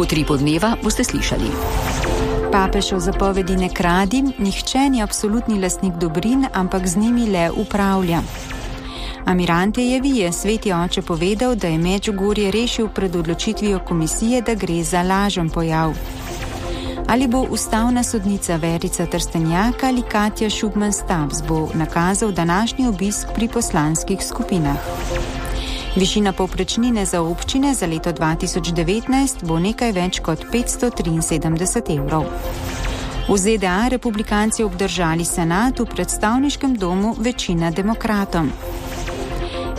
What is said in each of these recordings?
V Utripu dneva boste slišali. Papež o zapovedi ne kradi, nihče ni absolutni lastnik dobrin, ampak z njimi le upravlja. Amirantejevi je sveti oče povedal, da je Medžugorje rešil pred odločitvijo komisije, da gre za lažen pojav. Ali bo ustavna sodnica Verica Trstenjak ali Katja Šugman-Stubbs bo nakazal današnji obisk pri poslanskih skupinah. Višina povprečnine za občine za leto 2019 bo nekaj več kot 573 evrov. V ZDA republikanci obdržali senat, v predstavniškem domu večina demokratom.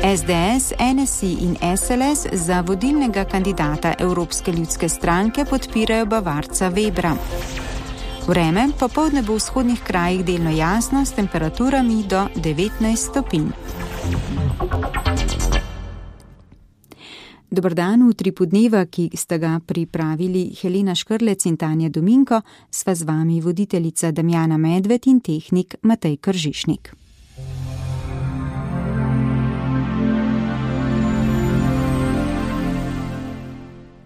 SDS, NSI in SLS za vodilnega kandidata Evropske ljudske stranke podpirajo Bavarca Webra. Vreme popoldne bo v vzhodnih krajih delno jasno s temperaturami do 19 stopinj. Dober dan, v Utripu dneva, ki sta ga pripravili Helena Škrlec in Tanja Dominko, sva z vami voditeljica Damjana Medved in tehnik Matej Kržišnik.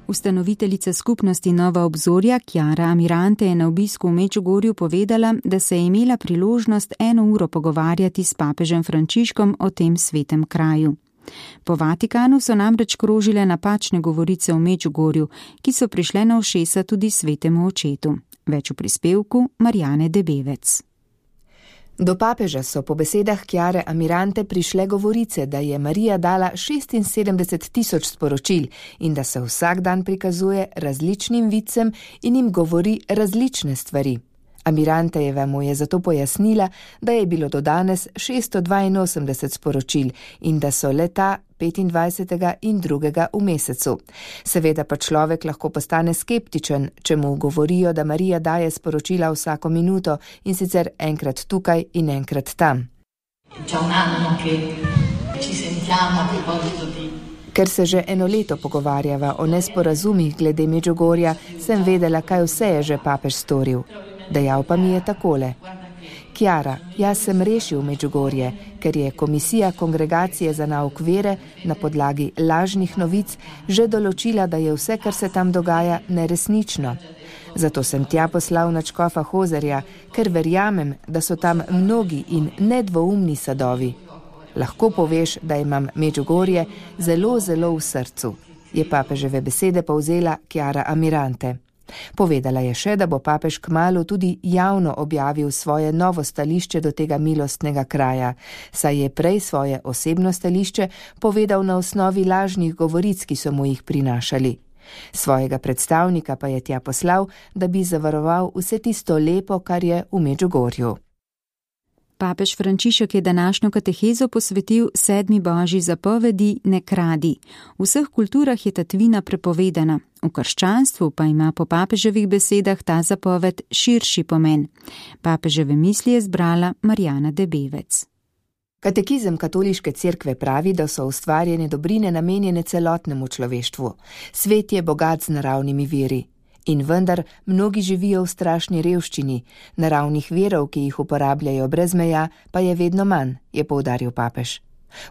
Ustanoviteljica skupnosti Nova obzorja Chiara Amirante je na obisku v Medžugorju povedala, da se je imela priložnost 1 uro pogovarjati s papežem Frančiškom o tem svetem kraju. Po Vatikanu so namreč krožile napačne govorice o Medžugorju, ki so prišle na ušesa tudi svetemu očetu. Več v prispevku Marjane Debevec. Do papeža so po besedah Chiare Amirante prišle govorice, da je Marija dala 76.000 sporočil in da se vsak dan prikazuje različnim vicem in jim govori različne stvari. Amirantejeva mu je zato pojasnila, da je bilo do danes 682 sporočil in da so leta 25. in 2. v mesecu. Seveda pa človek lahko postane skeptičen, če mu govorijo, da Marija daje sporočila vsako minuto in sicer enkrat tukaj in enkrat tam. Ker se že 1 leto pogovarjava o nesporazumih glede Medžugorja, sem vedela, kaj vse je že papež storil. Dejal pa mi je takole: Chiara, jaz sem rešil Medžugorje, ker je komisija Kongregacije za nauk vere na podlagi lažnih novic že določila, da je vse, kar se tam dogaja, neresnično. Zato sem tja poslal nadškofa Hozerja, ker verjamem, da so tam mnogi in nedvoumni sadovi. Lahko poveš, da imam Medžugorje zelo, zelo v srcu, je papeževe besede povzela Chiara Amirante. Povedala je še, da bo papež kmalu tudi javno objavil svoje novo stališče do tega milostnega kraja, saj je prej svoje osebno stališče povedal na osnovi lažnih govoric, ki so mu jih prinašali. Svojega predstavnika pa je tja poslal, da bi zavaroval vse tisto lepo, kar je v Medžugorju. Papež Frančišek je današnjo katehezo posvetil 7. božji zapovedi ne kradi. V vseh kulturah je tatvina prepovedana, v krščanstvu pa ima po papeževih besedah ta zapoved širši pomen. Papeževe misli je zbrala Marjana Debevec. Katekizem katoliške cerkve pravi, da so ustvarjene dobrine namenjene celotnemu človeštvu. Svet je bogat z naravnimi viri. In vendar mnogi živijo v strašni revščini, naravnih virov, ki jih uporabljajo brez meja, pa je vedno manj, je poudaril papež.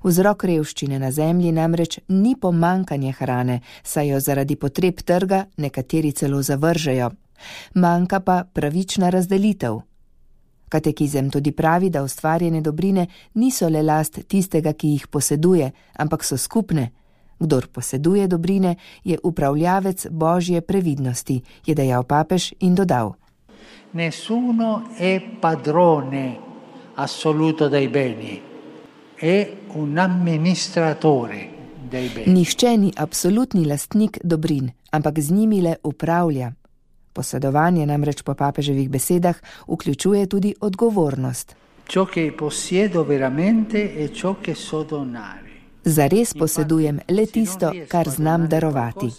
Vzrok revščine na zemlji namreč ni pomanjkanje hrane, saj jo zaradi potreb trga nekateri celo zavržejo. Manjka pa pravična razdelitev. Katekizem tudi pravi, da ustvarjene dobrine niso le last tistega, ki jih poseduje, ampak so skupne. Kdor poseduje dobrine, je upravljavec božje previdnosti, je dejal papež in dodal: Nessuno è padrone assoluto dei beni, è un amministratore dei beni. Nihče ni absolutni lastnik dobrin, ampak z njimi le upravlja. Posedovanje namreč po papeževih besedah vključuje tudi odgovornost. Ciò che possiedo veramente è ciò che so donare. Zares posedujem le tisto, kar znam darovati.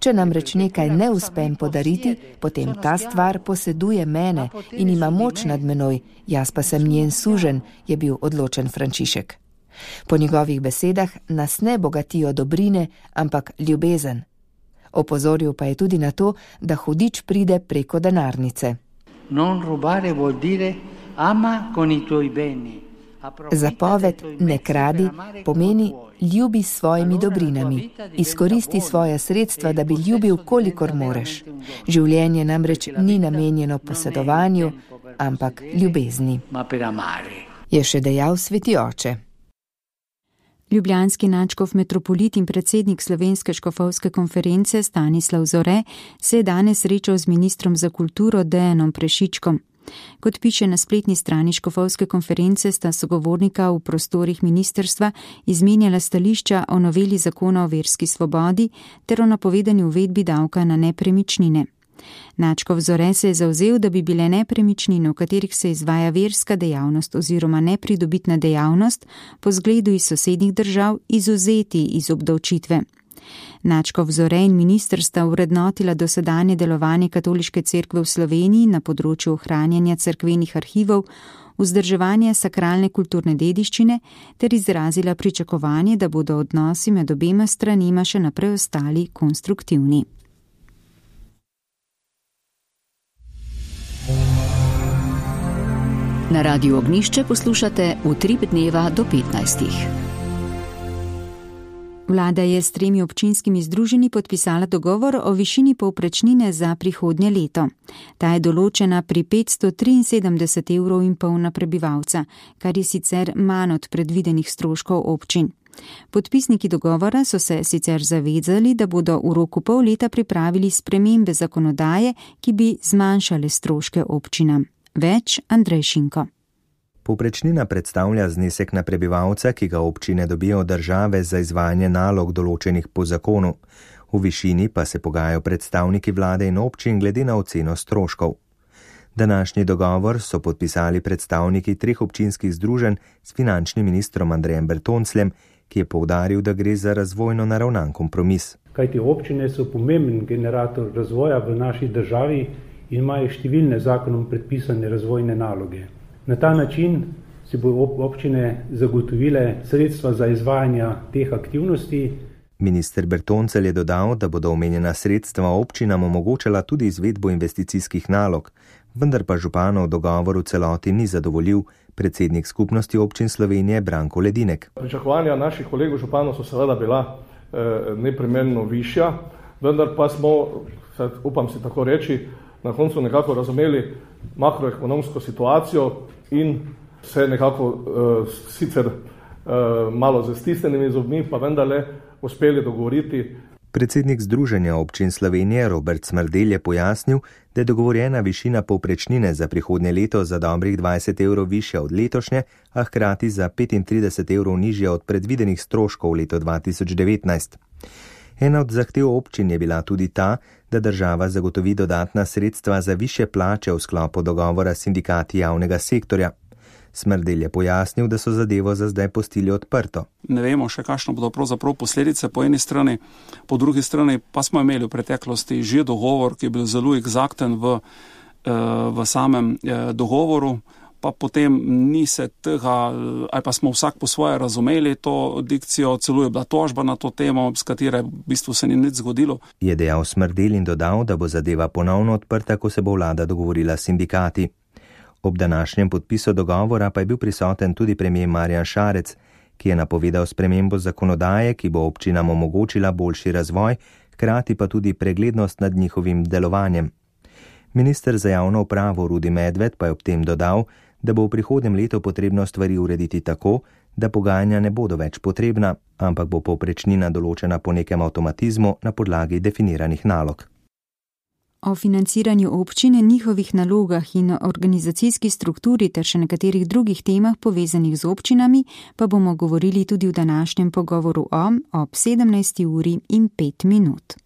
Če namreč nekaj ne uspem podariti, potem ta stvar poseduje mene in ima moč nad menoj, jaz pa sem njen suženj, je bil odločen Frančišek. Po njegovih besedah nas ne bogatijo dobrine, ampak ljubezen. Opozoril pa je tudi na to, da hudič pride preko denarnice. Non rubare vuol dire ama con i tuoi beni. Zapoved ne kradi pomeni ljubi s svojimi dobrinami. Izkoristi svoja sredstva, da bi ljubil, kolikor moreš. Življenje namreč ni namenjeno posedovanju, ampak ljubezni, je še dejal sveti oče. Ljubljanski nadškof metropolit in predsednik Slovenske škofovske konference Stanislav Zore se je danes srečal z ministrom za kulturo Dejanom Prešičkom. Kot piše na spletni strani škofovske konference, sta sogovornika v prostorih ministrstva izmenjala stališča o noveli zakona o verski svobodi ter o napovedani uvedbi davka na nepremičnine. Nadškof Zore se je zavzel, da bi bile nepremičnine, v katerih se izvaja verska dejavnost oziroma nepridobitna dejavnost, po zgledu iz sosednjih držav izvzeti iz obdavčitve. Nadškof Zore in minister sta vrednotila dosedanje delovanje Katoliške cerkve v Sloveniji na področju ohranjanja cerkvenih arhivov, vzdrževanja sakralne kulturne dediščine ter izrazila pričakovanje, da bodo odnosi med obema stranima še naprej ostali konstruktivni. Na Radiu Ognjišče poslušate Utrip dneva do 15. Vlada je s 3 občinskimi združenji podpisala dogovor o višini povprečnine za prihodnje leto. Ta je določena pri 573,5 evrov na prebivalca, kar je sicer manj od predvidenih stroškov občin. Podpisniki dogovora so se sicer zavezali, da bodo v roku pol leta pripravili spremembe zakonodaje, ki bi zmanjšale stroške občinam. Več Andrej Šinko. Povprečnina predstavlja znesek na prebivalca, ki ga občine dobijo od države za izvajanje nalog določenih po zakonu. V višini pa se pogajajo predstavniki vlade in občin glede na oceno stroškov. Današnji dogovor so podpisali predstavniki 3 občinskih združenj s finančnim ministrom Andrejem Bertoncljem, ki je poudaril, da gre za razvojno naravnan kompromis. Kajti občine so pomemben generator razvoja v naši državi in imajo številne zakonom predpisane razvojne naloge. Na ta način si bo občine zagotovile sredstva za izvajanje teh aktivnosti. Minister Bertoncelj je dodal, da bodo omenjena sredstva občinam omogočala tudi izvedbo investicijskih nalog, vendar pa županov dogovor v celoti ni zadovoljil, predsednik skupnosti občin Slovenije Branko Ledinek. Pričakovanja naših kolegov županov so seveda bila neprimerno višja, vendar pa smo, upam si tako reči, na koncu nekako razumeli makroekonomsko situacijo in se nekako sicer malo z stisnjenimi zobmi, pa vendarle uspeli dogovoriti. Predsednik Združenja občin Slovenije Robert Smrdelj je pojasnil, da je dogovorjena višina povprečnine za prihodnje leto za dobrih 20 evrov višja od letošnje, a hkrati za 35 evrov nižja od predvidenih stroškov v leto 2019. Ena od zahtev občin je bila tudi ta, da država zagotovi dodatna sredstva za višje plače v sklopu dogovora s sindikati javnega sektorja. Smrdelj je pojasnil, da so zadevo za zdaj pustili odprto. Ne vemo še, kakšno bodo pravzaprav posledice po eni strani, po drugi strani pa smo imeli v preteklosti že dogovor, ki je bil zelo eksakten v samem dogovoru, pa potem ni se tega, ali pa smo vsak po svoje razumeli to dikcijo, celo je bila tožba na to temo, s katero v bistvu se ni nič zgodilo. Je dejal Smrdelj in dodal, da bo zadeva ponovno odprta, ko se bo vlada dogovorila s sindikati. Ob današnjem podpisu dogovora pa je bil prisoten tudi premier Marjan Šarec, ki je napovedal spremembo zakonodaje, ki bo občinam omogočila boljši razvoj, hkrati pa tudi preglednost nad njihovim delovanjem. Minister za javno upravo Rudi Medved pa je ob tem dodal, da bo v prihodnjem letu potrebno stvari urediti tako, da pogajanja ne bodo več potrebna, ampak bo povprečnina določena po nekem avtomatizmu na podlagi definiranih nalog. O financiranju občine, njihovih nalogah in organizacijski strukturi ter še nekaterih drugih temah povezanih z občinami pa bomo govorili tudi v današnjem pogovoru ob 17:05.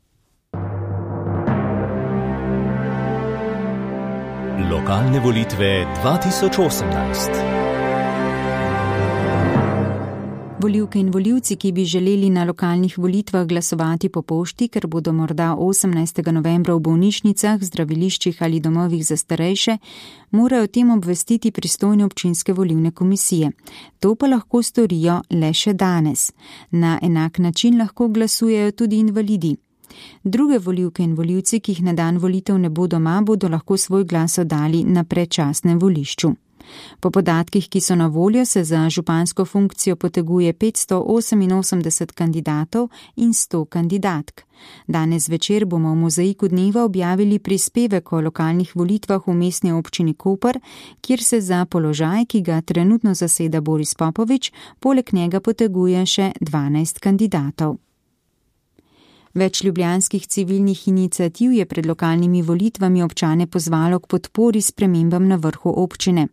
Lokalne volitve 2018. Volivke in volivci, ki bi želeli na lokalnih volitvah glasovati po pošti, ker bodo morda 18. novembra v bolnišnicah, zdraviliščih ali domovih za starejše, morajo o tem obvestiti pristojne občinske volilne komisije. To pa lahko storijo le še danes. Na enak način lahko glasujejo tudi invalidi. Druge volivke in volivci, ki jih na dan volitev ne bo doma, bodo lahko svoj glas oddali na predčasnem volišču. Po podatkih, ki so na voljo, se za župansko funkcijo poteguje 588 kandidatov in 100 kandidatk. Danes večer bomo v Mozaiku dneva objavili prispevek o lokalnih volitvah v mestni občini Koper, kjer se za položaj, ki ga trenutno zaseda Boris Popovič, poleg njega poteguje še 12 kandidatov. Več ljubljanskih civilnih iniciativ je pred lokalnimi volitvami občane pozvalo k podpori spremembam na vrhu občine.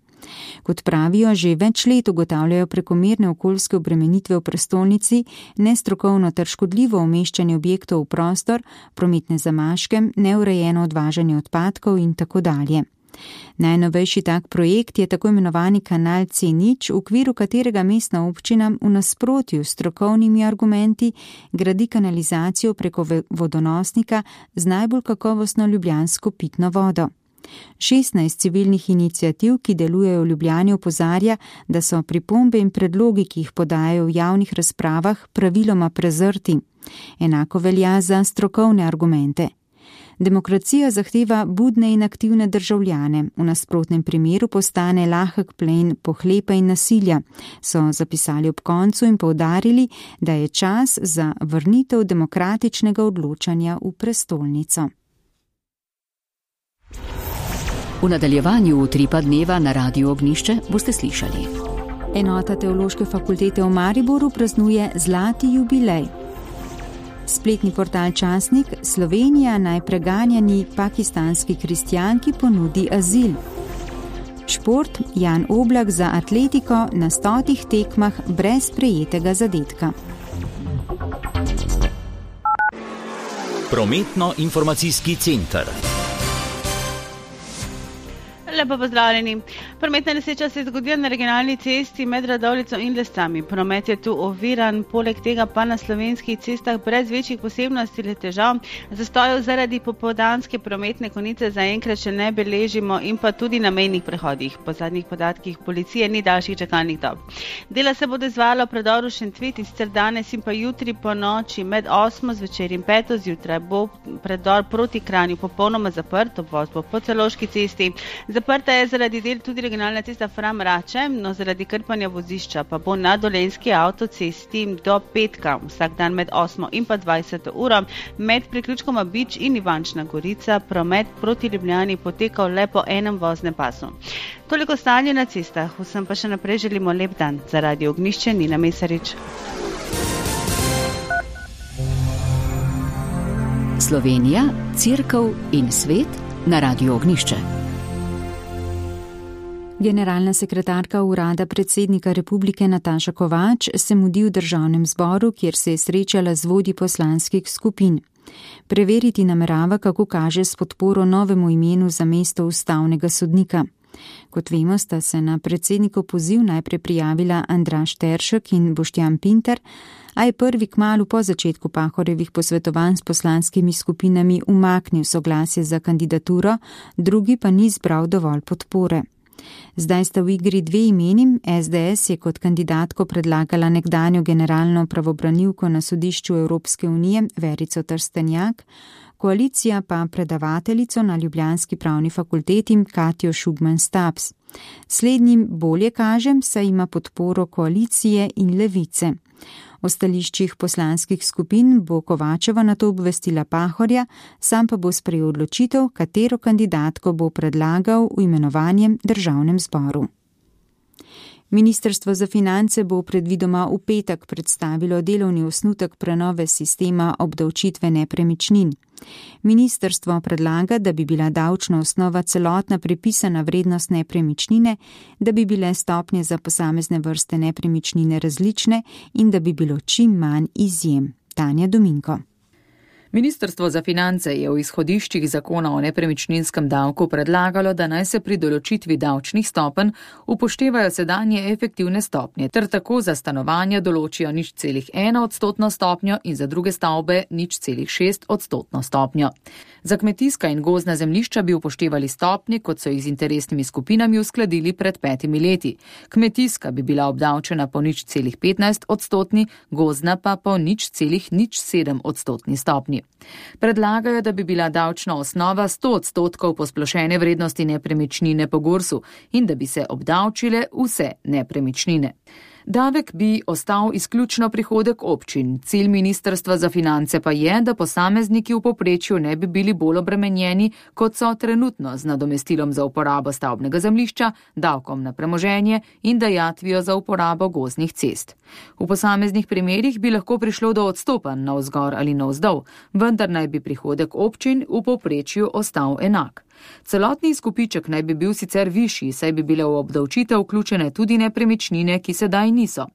Kot pravijo, že več let ugotavljajo prekomerne okoljske obremenitve v prestolnici, nestrokovno ter škodljivo umeščanje objektov v prostor, prometne zamaške, neurejeno odvažanje odpadkov in tako dalje. Najnovejši tak projekt je tako imenovani kanal C0, v okviru katerega mestna občina v nasprotju s strokovnimi argumenti gradi kanalizacijo preko vodonosnika z najbolj kakovostno ljubljansko pitno vodo. 16 civilnih iniciativ, ki delujejo v Ljubljani, opozarja, da so pripombe in predlogi, ki jih podajajo v javnih razpravah, praviloma prezrti. Enako velja za strokovne argumente. Demokracija zahteva budne in aktivne državljane, v nasprotnem primeru postane lahek plen pohlepa in nasilja, so zapisali ob koncu in poudarili, da je čas za vrnitev demokratičnega odločanja v prestolnico. V nadaljevanju Utripa dneva na Radiu Ognjišče boste slišali. Enota Teološke fakultete v Mariboru praznuje zlati jubilej. Spletni portal Časnik: Slovenija naj preganjani pakistanski kristjanki ponudi azil. Šport: Jan Oblak za Atletiko na 100 tekmah brez prejetega zadetka. Prometno-informacijski center. Lepo pozdravljeni. Prometna nesreča se je zgodila na regionalni cesti med Radovljico in Lescami. Promet je tu oviran, poleg tega pa na slovenskih cestah brez večjih posebnosti ali težav. Zastojev zaradi popoldanske prometne konice zaenkrat še ne beležimo in pa tudi na mejnih prehodih. Po zadnjih podatkih policije ni daljših čakalnih dob. Dela se bodo izvajala v predoru Šentvid, in sicer danes in pa jutri po noči med 8 zvečer in 5 zjutraj bo predor proti Kranju popolnoma zaprt, obvoz bo po Celovški cesti. Zaprta je zaradi del tudi regionalna cesta Fram-Rače, no zaradi krpanja vozišča pa bo na Dolenjski avtocesti do petka, vsak dan med 8 in pa 20 uro, med priključkoma Bič in Ivančna Gorica promet proti Ljubljani potekal le po enem voznem pasu. Toliko stanje na cestah, vsem pa še naprej želimo lep dan. Za Radio Ognjišče Nina Mesarič. Slovenija, Cerkev in svet na Radiu Ognjišče. Generalna sekretarka urada predsednika republike Nataša Kovač se mudi v državnem zboru, kjer se je srečala z vodji poslanskih skupin. Preveriti namerava, kako kaže s podporo novemu imenu za mesto ustavnega sodnika. Kot vemo, sta se na predsednikov poziv najprej prijavila Andraž Teršek in Boštjan Pinter, a je prvi kmalu po začetku Pahorjevih posvetovanj s poslanskimi skupinami umaknil soglasje za kandidaturo, drugi pa ni zbral dovolj podpore. Zdaj sta v igri dve imeni. SDS je kot kandidatko predlagala nekdanjo generalno pravobranilko na sodišču Evropske unije Verico Trstenjak, koalicija pa predavateljico na ljubljanski pravni fakulteti Katjo Šugman-Stabs. Slednjim bolje kažem, saj ima podporo koalicije in levice. O stališčih poslanskih skupin bo Kovačeva nato obvestila Pahorja, sam pa bo sprejel odločitev, katero kandidatko bo predlagal v imenovanjem državnem zboru. Ministrstvo za finance bo predvidoma v petek predstavilo delovni osnutek prenove sistema obdavčitve nepremičnin. Ministrstvo predlaga, da bi bila davčna osnova celotna pripisana vrednost nepremičnine, da bi bile stopnje za posamezne vrste nepremičnine različne in da bi bilo čim manj izjem. Tanja Dominko. Ministrstvo za finance je v izhodiščih zakona o nepremičninskem davku predlagalo, da naj se pri določitvi davčnih stopenj upoštevajo sedanje efektivne stopnje, ter tako za stanovanja določijo 0,1% stopnjo in za druge stavbe 0,6% stopnjo. Za kmetijska in gozdna zemljišča bi upoštevali stopnje, kot so jih z interesnimi skupinami uskladili pred 5 leti. Kmetijska bi bila obdavčena po 0,15%, gozdna pa po 0,07% stopnji. Predlagajo, da bi bila davčna osnova 100% posplošene vrednosti nepremičnine po GURS-u in da bi se obdavčile vse nepremičnine. Davek bi ostal izključno prihodek občin. Cilj Ministrstva za finance pa je, da posamezniki v povprečju ne bi bili bolj obremenjeni, kot so trenutno z nadomestilom za uporabo stavbnega zemljišča, davkom na premoženje in dajatvijo za uporabo gozdnih cest. V posameznih primerih bi lahko prišlo do odstopanj navzgor ali navzdol, vendar naj bi prihodek občin v povprečju ostal enak. Celotni izkupiček naj bi bil sicer višji, saj bi bile v obdavčitev vključene tudi nepremičnine, ki sedaj niso.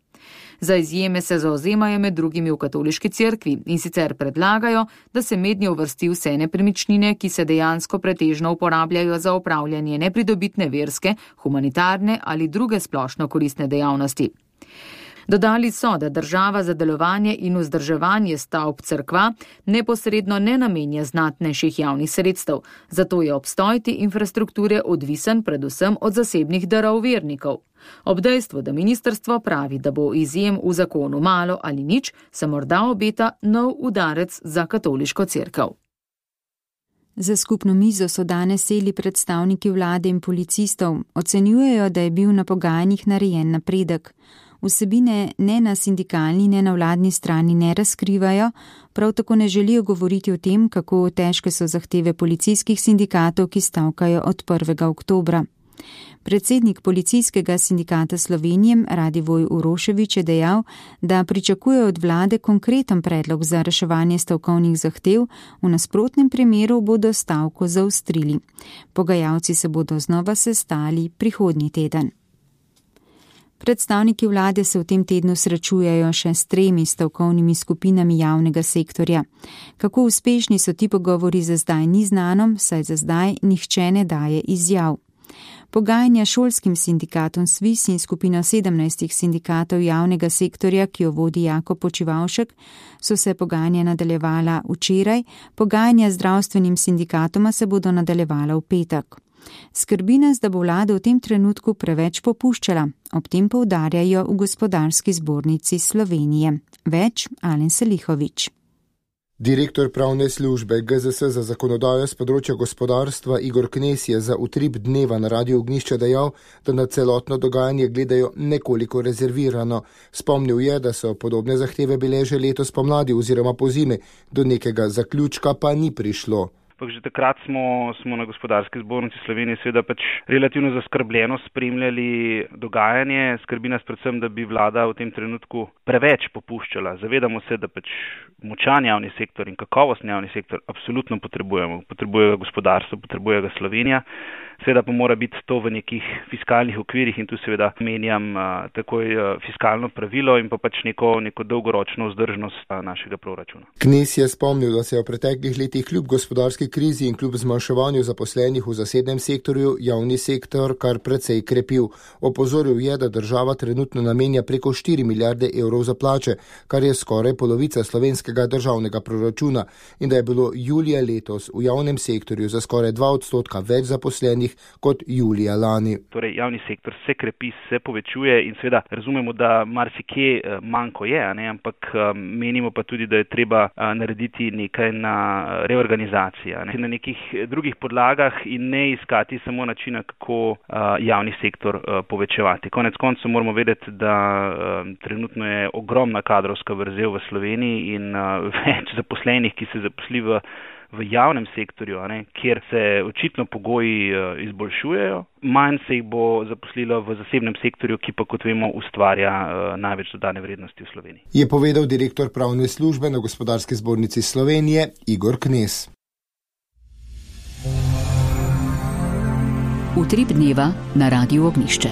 Za izjeme se zauzemajo med drugimi v katoliški cerkvi in sicer predlagajo, da se mednje uvrsti vse nepremičnine, ki se dejansko pretežno uporabljajo za opravljanje nepridobitne verske, humanitarne ali druge splošno koristne dejavnosti. Dodali so, da država za delovanje in vzdrževanje stavb cerkva neposredno ne namenja znatnejših javnih sredstev, zato je obstoj te infrastrukture odvisen predvsem od zasebnih darov vernikov. Ob dejstvu, da ministrstvo pravi, da bo izjem v zakonu malo ali nič, se morda obeta nov udarec za katoliško cerkev. Za skupno mizo so danes seli predstavniki vlade in policistov. Ocenjujejo, da je bil na pogajanjih narejen napredek. Vsebine ne na sindikalni, ne na vladni strani ne razkrivajo, prav tako ne želijo govoriti o tem, kako težke so zahteve policijskih sindikatov, ki stavkajo od 1. oktobra. Predsednik Policijskega sindikata Slovenije Radivoj Uroševič je dejal, da pričakuje od vlade konkreten predlog za reševanje stavkovnih zahtev, v nasprotnem primeru bodo stavko zaostrili. Pogajalci se bodo znova sestali prihodnji teden. Predstavniki vlade se v tem tednu srečujejo še s 3 stavkovnimi skupinami javnega sektorja. Kako uspešni so ti pogovori za zdaj ni znano, saj za zdaj nihče ne daje izjav. Pogajanja šolskim sindikatom SVIS in skupino 17 sindikatov javnega sektorja, ki jo vodi Jakob Počivavšek, so se pogajanja nadaljevala včeraj, pogajanja z zdravstvenim sindikatoma se bodo nadaljevala v petek. Skrbi nas, da bo vlada v tem trenutku preveč popuščala, ob tem poudarjajo v Gospodarski zbornici Slovenije. Več Alen Selihovič. Direktor pravne službe GZS za zakonodajo z področja gospodarstva Igor Knez je za utrip dneva na Radiu Ognjišče dejal, da na celotno dogajanje gledajo nekoliko rezervirano. Spomnil je, da so podobne zahteve bile že letos pomladi oziroma pozimi, do nekega zaključka pa ni prišlo. Že takrat smo na Gospodarski zbornici Slovenije seveda relativno zaskrbljeno spremljali dogajanje. Skrbi nas predvsem, da bi vlada v tem trenutku preveč popuščala. Zavedamo se, da močan javni sektor in kakovostni javni sektor absolutno potrebujemo. Potrebuje ga gospodarstvo, potrebuje ga Slovenija. Seveda pa mora biti to v nekih fiskalnih okvirih in tu seveda menjam takoj fiskalno pravilo in pa neko dolgoročno vzdržnost našega proračuna. Knez je spomnil, da se je v preteklih letih kljub gospodarski krizi in kljub zmanjševanju zaposlenih v zasebnem sektorju javni sektor kar precej krepil. Opozoril je, da država trenutno namenja preko 4 milijarde evrov za plače, kar je skoraj polovica slovenskega državnega proračuna in da je bilo julija letos v javnem sektorju za skoraj 2% več zaposlenih kot julija lani. Torej, javni sektor se krepi, se povečuje in seveda razumemo, da marsikje manjko je, ampak menimo pa tudi, da je treba narediti nekaj na reorganizaciji, na nekih drugih podlagah in ne iskati samo načina, kako javni sektor povečevati. Konec koncev moramo vedeti, da trenutno je ogromna kadrovska vrzel v Sloveniji in več zaposlenih, ki se zaposli v javnem sektorju, kjer se očitno pogoji izboljšujejo, manj se jih bo zaposlilo v zasebnem sektorju, ki pa, kot vemo, ustvarja največ dodane vrednosti v Sloveniji. Je povedal direktor pravne službe na Gospodarski zbornici Slovenije Igor Knez. Utrip dneva na Radiu Ognjišče.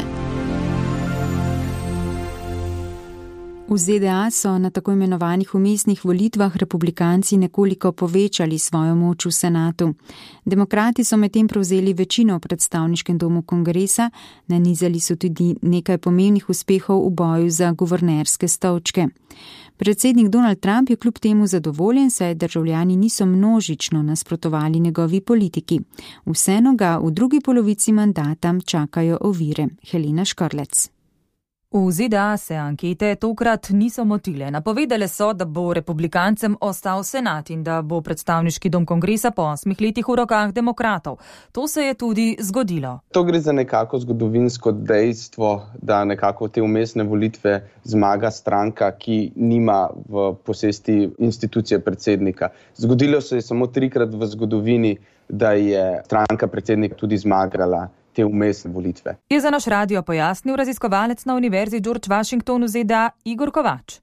V ZDA so na tako imenovanih vmesnih volitvah republikanci nekoliko povečali svojo moč v senatu. Demokrati so medtem prevzeli večino v predstavniškem domu kongresa, nanizali so tudi nekaj pomembnih uspehov v boju za guvernerske stolčke. Predsednik Donald Trump je kljub temu zadovoljen, saj državljani niso množično nasprotovali njegovi politiki. Vseeno ga v drugi polovici mandata čakajo ovire. Helena Škrlec. V ZDA se ankete tokrat niso motile. Napovedale so, da bo republikancem ostal senat in da bo predstavniški dom kongresa po 8 letih v rokah demokratov. To se je tudi zgodilo. To gre za nekako zgodovinsko dejstvo, da nekako te vmesne volitve zmaga stranka, ki nima v posesti institucije predsednika. Zgodilo se je samo 3-krat v zgodovini, da je stranka predsednik tudi zmagala te vmesne volitve. Je za naš radio pojasnil raziskovalec na Univerzi George Washington v ZDA Igor Kovač.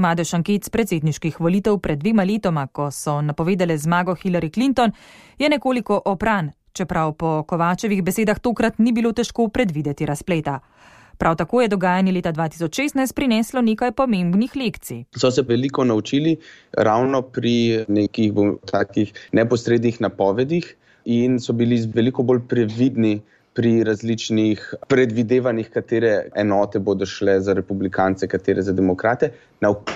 Madež anket predsedniških volitev pred 2 letoma, ko so napovedale zmago Hillary Clinton, je nekoliko opran, čeprav po Kovačevih besedah tokrat ni bilo težko predvideti razpleta. Prav tako je dogajanje leta 2016 prineslo nekaj pomembnih lekcij. So se veliko naučili ravno pri nekih takih neposrednih napovedih in so bili veliko bolj previdni pri različnih predvidevanjih, katere enote bodo šle za republikance, katere za demokrate.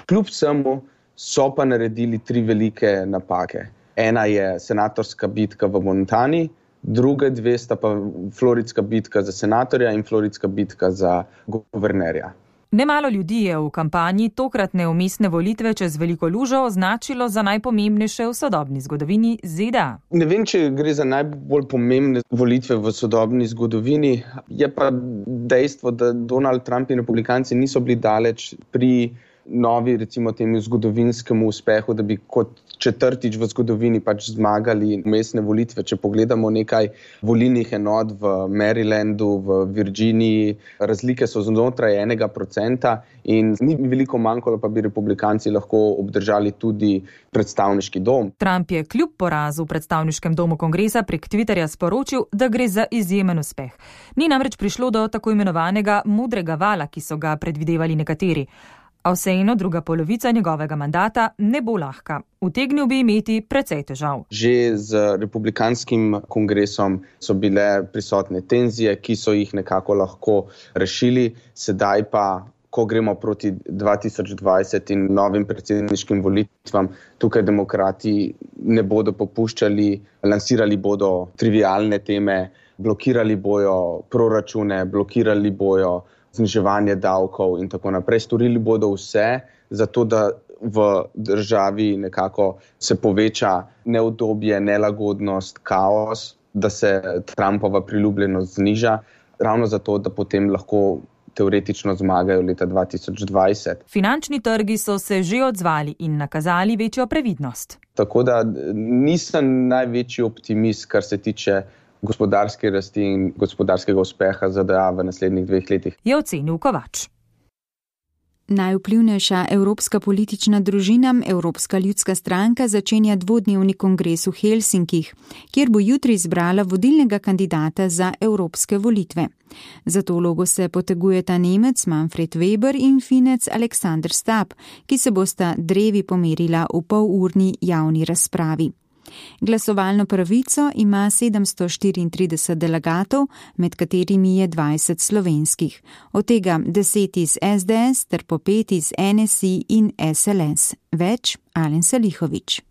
Kljub vsemu so pa naredili 3 velike napake. Ena je senatorska bitka v Montani, druge 2 sta pa floridska bitka za senatorja in floridska bitka za guvernerja. Nemalo ljudi je v kampanji tokratne vmesne volitve čez veliko lužo označilo za najpomembnejše v sodobni zgodovini ZDA. Ne vem, če gre za najbolj pomembne volitve v sodobni zgodovini, je pa dejstvo, da Donald Trump in republikanci niso bili daleč pri novi, recimo temu zgodovinskemu uspehu, da bi kot 4. v zgodovini pač zmagali vmesne volitve. Če pogledamo nekaj volilnih enot v Marylandu, v Virginiji, razlike so znotraj 1% in ni veliko manjkalo, pa bi republikanci lahko obdržali tudi predstavniški dom. Trump je kljub porazu v predstavniškem domu kongresa prek Twitterja sporočil, da gre za izjemen uspeh. Ni namreč prišlo do tako imenovanega modrega vala, ki so ga predvidevali nekateri. A vseeno druga polovica njegovega mandata ne bo lahka. Utegnil bi imeti precej težav. Že z republikanskim kongresom so bile prisotne tenzije, ki so jih nekako lahko rešili. Sedaj pa, ko gremo proti 2020 in novim predsedniškim volitvam, tukaj demokrati ne bodo popuščali, lansirali bodo trivialne teme, blokirali bojo proračune, blokirali bojo zniževanje davkov in tako naprej. Storili bodo vse, zato da v državi nekako se poveča neudobje, nelagodnost, kaos, da se Trumpova priljubljenost zniža, ravno zato, da potem lahko teoretično zmagajo leta 2020. Finančni trgi so se že odzvali in nakazali večjo previdnost. Tako da nisem največji optimist, kar se tiče gospodarske rasti in gospodarskega uspeha ZDA v naslednjih 2 letih. Je ocenil Kovač. Najvplivnejša evropska politična družina, Evropska ljudska stranka, začenja 2-dnevni kongres v Helsinkih, kjer bo jutri izbrala vodilnega kandidata za evropske volitve. Za to vlogo se potegujeta Nemec Manfred Weber in Finec Alexander Stubb, ki se bosta drevi pomerila v polurni javni razpravi. Glasovalno pravico ima 734 delegatov, med katerimi je 20 slovenskih, od tega 10 iz SDS ter po 5 iz NSI in SLS. Več Alen Salihović.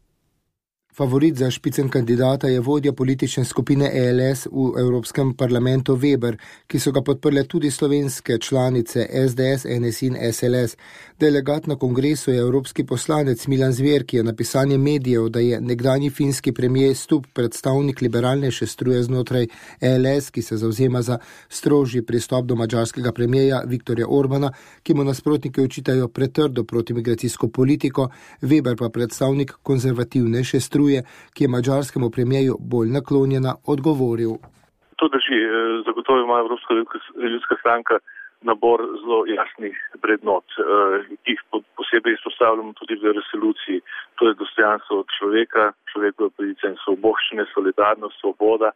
Favorit za špicen kandidata je vodja politične skupine ELS v Evropskem parlamentu Weber, ki so ga podprle tudi slovenske članice SDS, NSI in SLS. Delegat na kongresu je evropski poslanec Milan Zver, ki je na pisanje medijev, da je nekdanji finski premijer Stubb predstavnik liberalnejše struje znotraj ELS, ki se zavzema za strožji pristop do madžarskega premijeja Viktorja Orbana, ki mu nasprotniki očitajo pretrdo protimigracijsko politiko, Weber pa predstavnik konzervativnejše struje, ki je madžarskemu premijeju bolj naklonjena, odgovoril. To drži. Zagotovo ima Evropska ljudska stranka nabor zelo jasnih vrednot, ki jih posebej izpostavljamo tudi v resoluciji. To je dostojanstvo človeka, človekove pravice in svoboščine, solidarnost, svoboda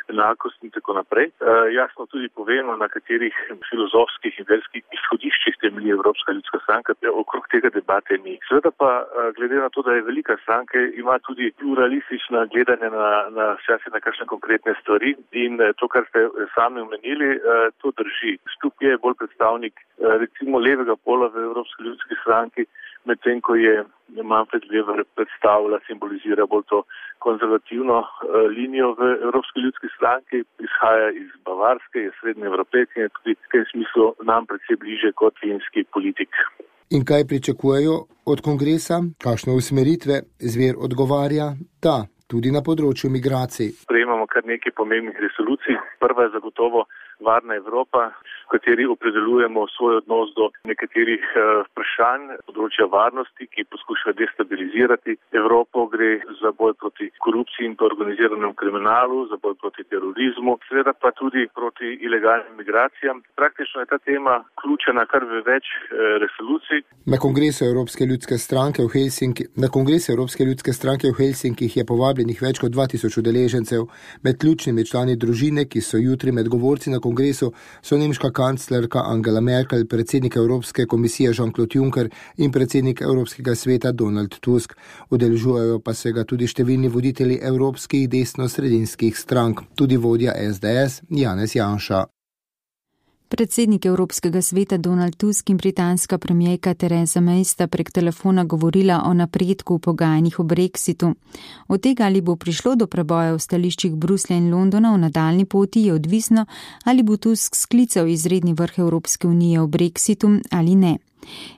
enakost in tako naprej. Jasno tudi povemo, na katerih filozofskih in verskih izhodiščih temelji Evropska ljudska stranka, okrog tega debate ni. Seveda pa, glede na to, da je velika stranka, ima tudi pluralistična gledanja na kakšne konkretne stvari in to, kar ste sami omenili, to drži. Štup je bolj predstavnik recimo levega pola v Evropski ljudski stranki, medtem ko je Manfred Weber predstavlja, simbolizira bolj to konzervativno linijo v Evropski ljudski stranki, izhaja iz Bavarske, je srednje Evropejke in tudi v tem smislu nam predvsej bliže kot finski politik. In kaj pričakujejo od kongresa? Kakšne usmeritve? Zver odgovarja, da, tudi na področju migracij. Sprejemamo kar nekaj pomembnih resolucij. Prva je zagotovo varna Evropa, v kateri opredeljujemo svoj odnos do nekaterih vprašanj področja varnosti, ki poskušajo destabilizirati Evropo. Gre za boj proti korupciji in organiziranemu kriminalu, za boj proti terorizmu, seveda pa tudi proti ilegalnim migracijam. Praktično je ta tema vključena kar v več resolucij. Na Kongresu Evropske ljudske stranke v Helsinkih je povabljenih več kot 2000 udeležencev. Med ključnimi člani družine, ki so jutri med govorci na kongresu, so nemška kanclerka Angela Merkel, predsednik Evropske komisije Jean-Claude Juncker in predsednik Evropskega sveta Donald Tusk. Udeležujejo pa se ga tudi številni voditelji evropskih desno-sredinskih strank, tudi vodja SDS Janez Janša. Predsednik Evropskega sveta Donald Tusk in britanska premijerka Theresa May sta prek telefona govorila o napredku v pogajanjih o Brexitu. Od tega, ali bo prišlo do preboja v stališčih Bruslja in Londona v nadaljni poti, je odvisno, ali bo Tusk sklical izredni vrh Evropske unije o Brexitu ali ne.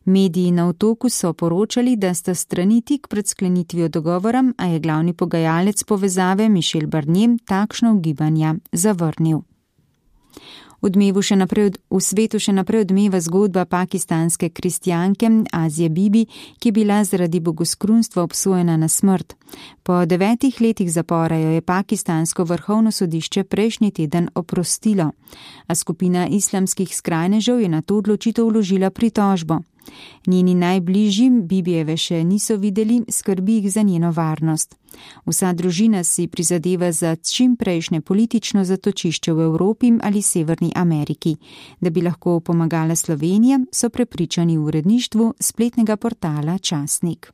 Mediji na Otoku so poročali, da sta strani tik pred sklenitvijo dogovora, a je glavni pogajalec povezave Michel Barnier takšno ugibanja zavrnil. V svetu še naprej odmeva zgodba pakistanske kristjanke Azije Bibi, ki je bila zaradi bogoskrunstva obsojena na smrt. Po 9 letih zapora jo je pakistansko vrhovno sodišče prejšnji teden oprostilo, a skupina islamskih skrajnežev je na to odločitev vložila pritožbo. Njeni najbližji Bibijeve še niso videli, skrbi jih za njeno varnost. Vsa družina si prizadeva za čim prejšnje politično zatočišče v Evropi ali Severni Ameriki. Da bi lahko pomagala Slovenija, so prepričani v uredništvu spletnega portala Časnik.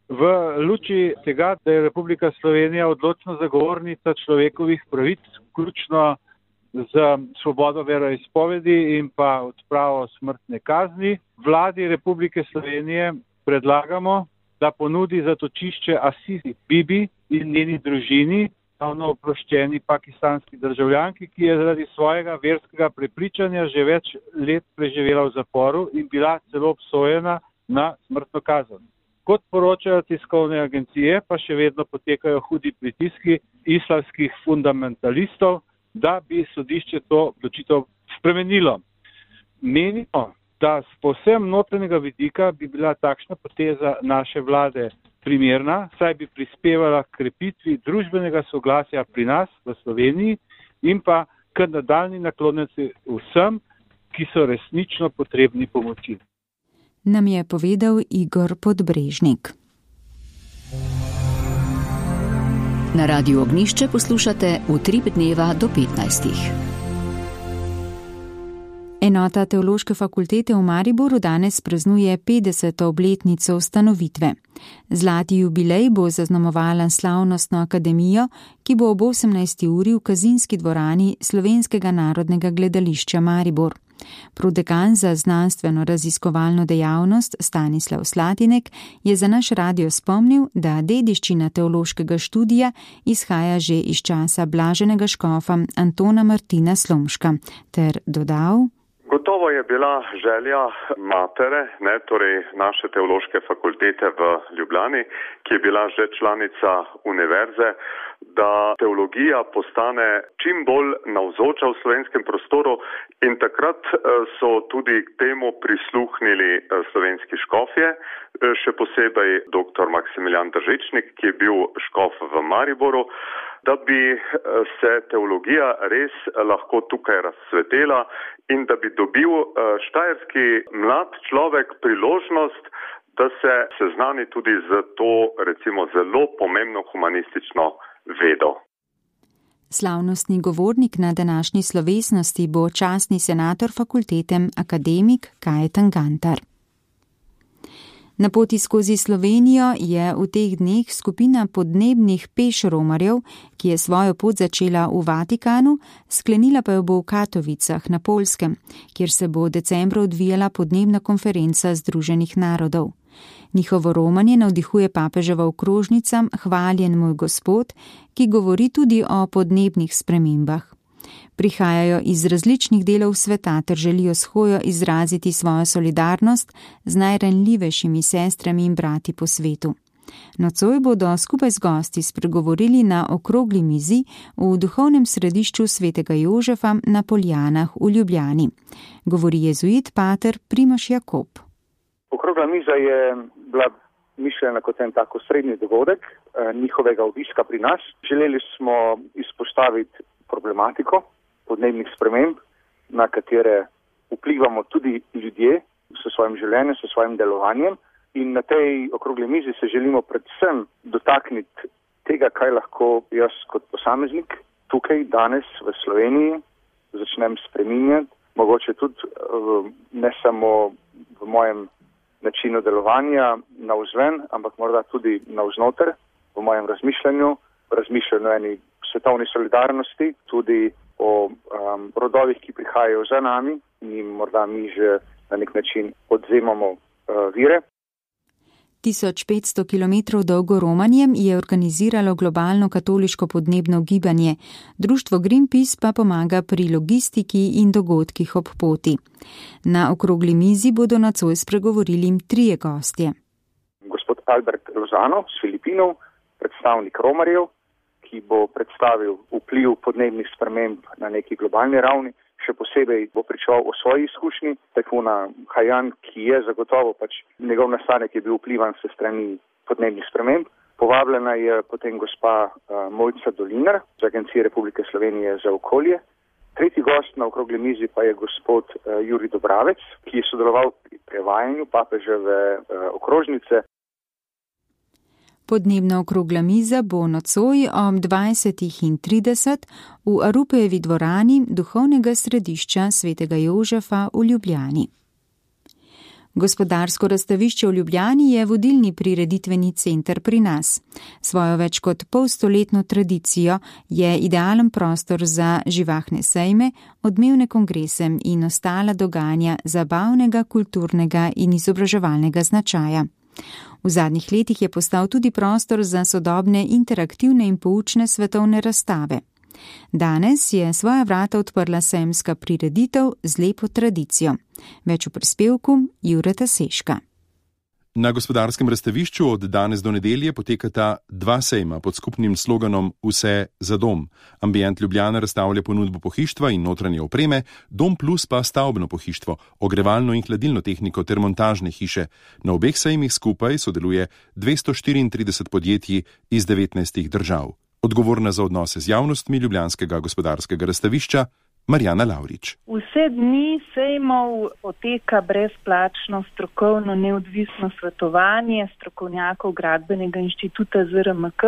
V luči tega, da je Republika Slovenija odločna zagovornica človekovih pravic, vključno z svobodo veroizpovedi in pa odpravo smrtne kazni, vladi Republike Slovenije predlagamo, da ponudi zatočišče Azizi Bibi in njeni družini, javno oproščeni pakistanski državljanki, ki je zaradi svojega verskega prepričanja že več let preživela v zaporu in bila celo obsojena na smrtno kazen. Kot poročajo tiskovne agencije, pa še vedno potekajo hudi pritiski islamskih fundamentalistov, da bi sodišče to odločitev spremenilo. Menimo, da z povsem notranjega vidika bi bila takšna poteza naše vlade primerna, saj bi prispevala k krepitvi družbenega soglasja pri nas v Sloveniji in pa k nadaljnji naklonjenosti vsem, ki so resnično potrebni pomoči. Nam je povedal Igor Podbrežnik. Na Radiu Ognjišče poslušate Utrip dneva do 15. Enota Teološke fakultete v Mariboru danes praznuje 50. obletnico ustanovitve. Zlati jubilej bo zaznamovala slavnostno akademijo, ki bo ob 18. uri v Kazinski dvorani Slovenskega narodnega gledališča Maribor. Prodekan za znanstveno-raziskovalno dejavnost Stanislav Slatinek je za naš radio spomnil, da dediščina teološkega študija izhaja že iz časa blaženega škofa Antona Martina Slomška, ter dodal: Gotovo je bila želja matere, torej naše teološke fakultete v Ljubljani, ki je bila že članica univerze, da teologija postane čim bolj navzoča v slovenskem prostoru in takrat so tudi k temu prisluhnili slovenski škofje, še posebej dr. Maksimilijan Držičnik, ki je bil škof v Mariboru, da bi se teologija res lahko tukaj razcvetela in da bi dobil štajerski mlad človek priložnost, da se seznani tudi z to, recimo, zelo pomembno humanistično vedo. Slavnostni govornik na današnji slovesnosti bo častni senator fakultete akademik Kajetan Gantar. Na poti skozi Slovenijo je v teh dneh skupina podnebnih pešromarjev, ki je svojo pot začela v Vatikanu, sklenila pa jo bo v Katovicah na Poljskem, kjer se bo decembra odvijala podnebna konferenca Združenih narodov. Njihovo romanje navdihuje papeževa okrožnica Hvaljen moj Gospod, ki govori tudi o podnebnih spremembah. Prihajajo iz različnih delov sveta ter želijo s hojo izraziti svojo solidarnost z najranljivejšimi sestrami in brati po svetu. Nocoj bodo skupaj z gosti spregovorili na okrogli mizi v duhovnem središču svetega Jožefa na Poljanah v Ljubljani. Govori jezuit pater Primož Jakob. Okrogla miza je bila mišljena kot en tako srednji dogodek njihovega obiska pri nas. Želeli smo izpostaviti problematiko podnebnih sprememb, na katere vplivamo tudi ljudje s svojim življenjem, s svojim delovanjem. In na tej okrogli mizi se želimo predvsem dotakniti tega, kaj lahko jaz kot posameznik tukaj danes v Sloveniji začnem spreminjati. Mogoče tudi ne samo v mojem načinu delovanja navzven, ampak morda tudi navznoter, v mojem razmišljanju eni svetovni solidarnosti, tudi o rodovih, ki prihajajo za nami in morda mi že na nek način odzemamo vire. 1500 km dolgo romanje je organiziralo globalno katoliško podnebno gibanje, društvo Greenpeace pa pomaga pri logistiki in dogodkih ob poti. Na okrogli mizi bodo nocoj spregovorili 3 gostje. Gospod Albert Lozano z Filipinov, predstavnik romarjev, ki bo predstavil vpliv podnebnih sprememb na neki globalni ravni. Še posebej bo pričal o svoji izkušnji tajfuna Haiyan, ki je zagotovo njegov nastanek je bil vplivan se strani podnebnih sprememb. Povabljena je potem gospa Mojca Dolinar z Agencije Republike Slovenije za okolje. Tretji gost na okrogli mizi pa je gospod Jurij Dobravec, ki je sodeloval pri prevajanju papeževe okrožnice. Podnebna okrogla miza bo nocoj ob 20:30 v Arupejevi dvorani duhovnega središča svetega Jožefa v Ljubljani. Gospodarsko razstavišče v Ljubljani je vodilni prireditveni center pri nas. Svojo več kot polstoletno tradicijo je idealen prostor za živahne sejme, odmevne kongrese in ostala dogajanja zabavnega, kulturnega in izobraževalnega značaja. V zadnjih letih je postal tudi prostor za sodobne, interaktivne in poučne svetovne razstave. Danes je svoja vrata odprla sejemska prireditev z lepo tradicijo. Več v prispevku Jureta Seška. Na gospodarskem razstavišču od danes do nedelje potekata 2 sejma pod skupnim sloganom Vse za dom. Ambient Ljubljana razstavlja ponudbo pohištva in notranje opreme, Dom Plus pa stavbno pohištvo, ogrevalno in hladilno tehniko ter montažne hiše. Na obeh sejmih skupaj sodeluje 234 podjetij iz 19 držav. Odgovorna za odnose z javnostmi Ljubljanskega gospodarskega razstavišča Marjana Lavrič. Vse dni sejmov poteka brezplačno strokovno neodvisno svetovanje strokovnjakov Gradbenega inštituta ZRMK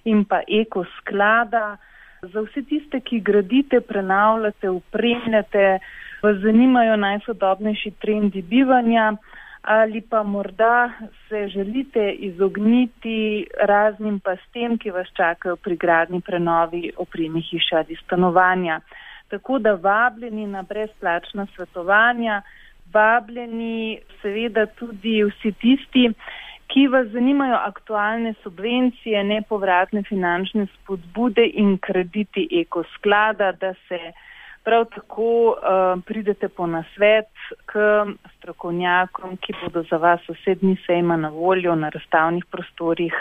in pa Eko sklada. Za vse tiste, ki gradite, prenavljate, opremljate, vas zanimajo najsodobnejši trendi bivanja ali pa morda se želite izogniti raznim pastem, ki vas čakajo pri gradnji, prenovi, opremi hiše ali stanovanja. Tako da vabljeni na brezplačna svetovanja, vabljeni seveda tudi vsi tisti, ki vas zanimajo aktualne subvencije, nepovratne finančne spodbude in krediti Eko sklada, da se prav tako pridete po nasvet k strokovnjakom, ki bodo za vas vse dni sejma na voljo na razstavnih prostorih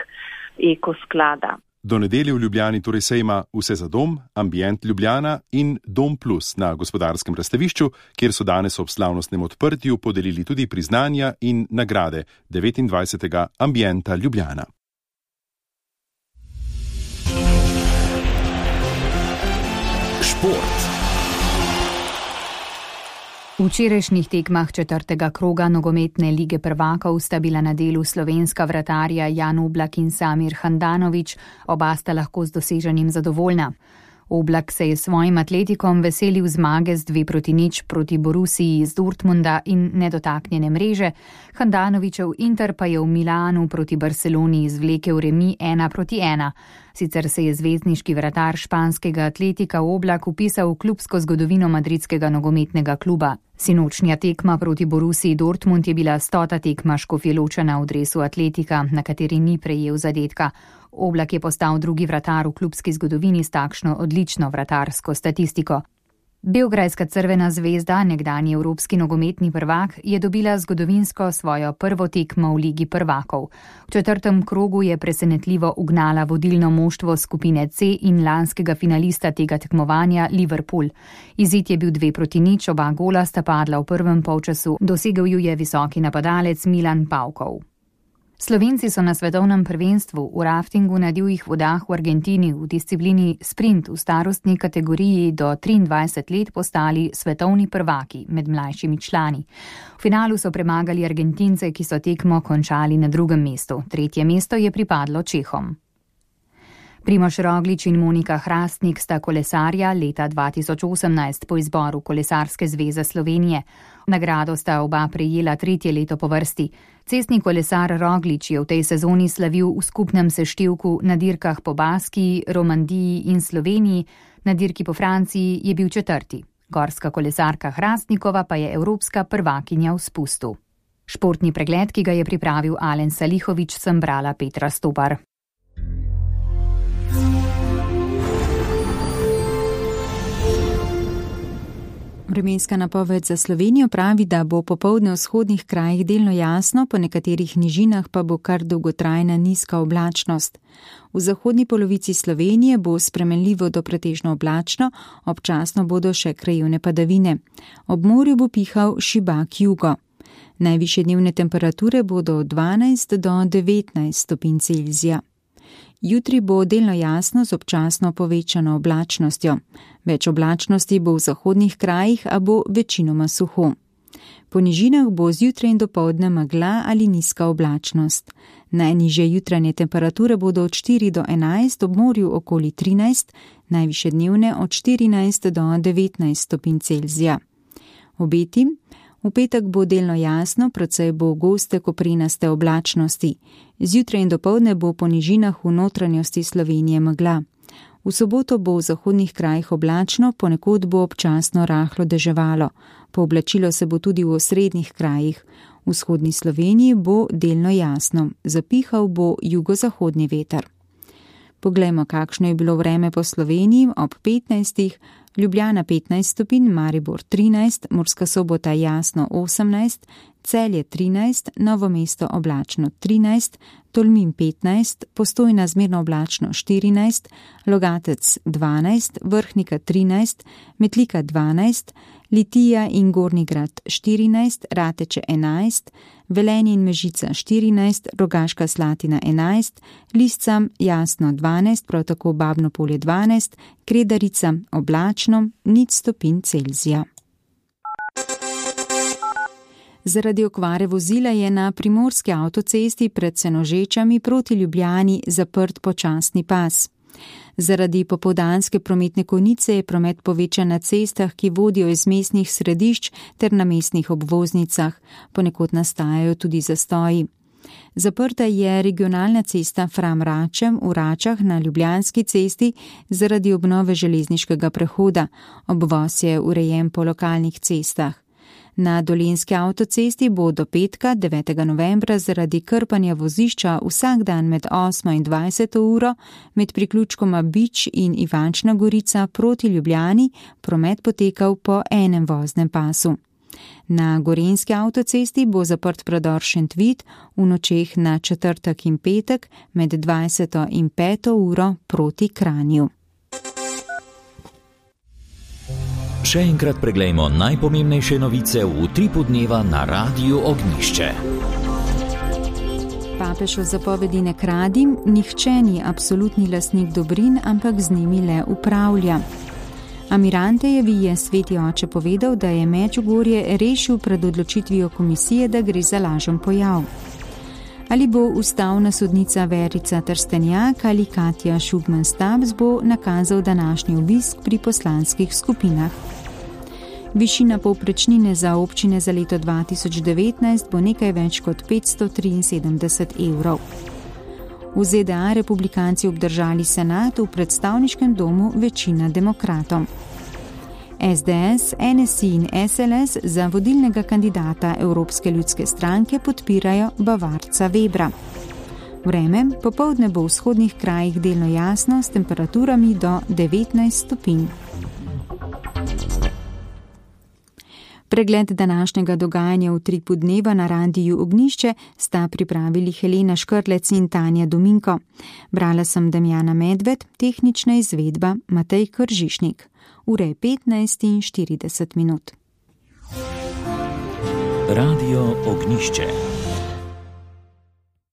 Eko sklada. Do nedelje v Ljubljani torej sejma Vse za dom, Ambient Ljubljana in Dom Plus na gospodarskem razstavišču, kjer so danes ob slavnostnem odprtju podelili tudi priznanja in nagrade 29. Ambienta Ljubljana. Šport. V včerajšnjih tekmah 4. kroga nogometne lige prvakov sta bila na delu slovenska vratarja Jan Oblak in Samir Handanović, oba sta lahko z doseženim zadovoljna. Oblak se je svojim atletikom veselil zmage z 2-0 proti Borussiji iz Dortmunda in nedotaknjene mreže, Handanovićev Inter pa je v Milanu proti Barceloni izvlekel remi 1-1. Sicer se je zvezdniški vratar španskega atletika Oblak vpisal v klubsko zgodovino madridskega nogometnega kluba. Sinočnja tekma proti Borussiji Dortmund je bila 100. tekma Škofjeločana v dresu atletika, na kateri ni prejel zadetka. Oblak je postal drugi vratar v klubski zgodovini s takšno odlično vratarsko statistiko. Beograjska Crvena zvezda, nekdanji evropski nogometni prvak, je dobila zgodovinsko svojo prvo tekmo v Ligi prvakov. V 4. krogu je presenetljivo ugnala vodilno moštvo skupine C in lanskega finalista tega tekmovanja Liverpool. Izid je bil 2-0, oba gola sta padla v prvem polčasu, dosegel ju je visoki napadalec Milan Pavkov. Slovenci so na svetovnem prvenstvu v raftingu na divjih vodah v Argentini v disciplini sprint v starostni kategoriji do 23 let postali svetovni prvaki med mlajšimi člani. V finalu so premagali Argentince, ki so tekmo končali na 2. mestu. 3. mesto je pripadlo Čehom. Primož Roglič in Monika Hrastnik sta kolesarja leta 2018 po izboru Kolesarske zveze Slovenije. Nagrado sta oba prejela 3. leto po vrsti. Cestni kolesar Roglič je v tej sezoni slavil v skupnem seštevku na dirkah po Baskiji, Romandiji in Sloveniji, na dirki po Franciji je bil 4. Gorska kolesarka Hrastnikova pa je evropska prvakinja v spustu. Športni pregled, ki ga je pripravil Alen Salihovič, sem brala Petra Stopar. Vremenska napoved za Slovenijo pravi, da bo popoldne v vzhodnih krajih delno jasno, po nekaterih nižinah pa bo kar dolgotrajna nizka oblačnost. V zahodni polovici Slovenije bo spremenljivo do pretežno oblačno, občasno bodo še krajevne padavine. Ob morju bo pihal šibak jugo. Najvišje dnevne temperature bodo od 12 do 19 stopinj Celzija. Jutri bo delno jasno z občasno povečano oblačnostjo. Več oblačnosti bo v zahodnih krajih, a bo večinoma suho. Po nižinah bo zjutraj in dopoldne megla ali nizka oblačnost. Najnižje jutranje temperature bodo od 4 do 11, ob morju okoli 13, najvišje dnevne od 14 do 19 stopinj Celzija. Obeti: v petek bo delno jasno, precej bo goste koprenaste oblačnosti. Zjutraj in dopoldne bo po nižinah v notranjosti Slovenije megla. V soboto bo v zahodnih krajih oblačno, ponekod bo občasno rahlo deževalo. Pooblačilo se bo tudi v osrednjih krajih. V vzhodni Sloveniji bo delno jasno, zapihal bo jugozahodni veter. Poglejmo, kakšno je bilo vreme po Sloveniji ob 15. Ljubljana 15 stopinj, Maribor 13, Murska Sobota jasno 18, Celje 13, Novo mesto oblačno 13, Tolmin 15, Postojna zmerno oblačno 14, Logatec 12, Vrhnika 13, Metlika 12, Litija in Gornji Grad 14, Rateče 11, Velenje in Mežica 14, Rogaška Slatina 11, Lisca jasno 12, prav tako Babno Polje 12, Kredarica oblačno 0 stopinj Celzija. Zaradi okvare vozila je na primorski avtocesti pred Senožečami proti Ljubljani zaprt počasni pas. Zaradi popoldanske prometne konice je promet povečan na cestah, ki vodijo iz mestnih središč ter na mestnih obvoznicah. Ponekod nastajajo tudi zastoji. Zaprta je regionalna cesta Fram-Račem v Račah na Ljubljanski cesti zaradi obnove železniškega prehoda. Obvoz je urejen po lokalnih cestah. Na Dolenjski avtocesti bo do petka 9. novembra zaradi krpanja vozišča vsak dan med 8 in 20 uro med priključkoma Bič in Ivančna Gorica proti Ljubljani promet potekal po enem voznem pasu. Na Gorenjski avtocesti bo zaprt predor Šentvid v nočeh na četrtek in petek med 20 in 5 uro proti Kranju. Še enkrat preglejmo najpomembnejše novice v utripu dneva na Radiu Ognjišče. Papež o zapovedi ne kradi, nihče ni absolutni lastnik dobrin, ampak z njimi le upravlja. Amirantejevi je sveti oče povedal, da je Medžugorje rešil pred odločitvijo komisije, da gre za lažen pojav. Ali bo ustavna sodnica Verica Trstenjak ali Katja Šugman-Stabs bo nakazal današnji obisk pri poslanskih skupinah. Višina povprečnine za občine za leto 2019 bo nekaj več kot 573 evrov. V ZDA republikanci obdržali senat, v predstavniškem domu večina demokratom. SDS, NSI in SLS za vodilnega kandidata Evropske ljudske stranke podpirajo Bavarca Webra. Vreme, popoldne bo v vzhodnih krajih delno jasno s temperaturami do 19 stopinj. Pregled današnjega dogajanja v Tripu dneva na Radiu Ognjišče sta pripravili Helena Škrlec in Tanja Dominko. Brala sem Damjana Medved, tehnična izvedba Matej Kržišnik. Ure je 15:40. Radio Ognjišče.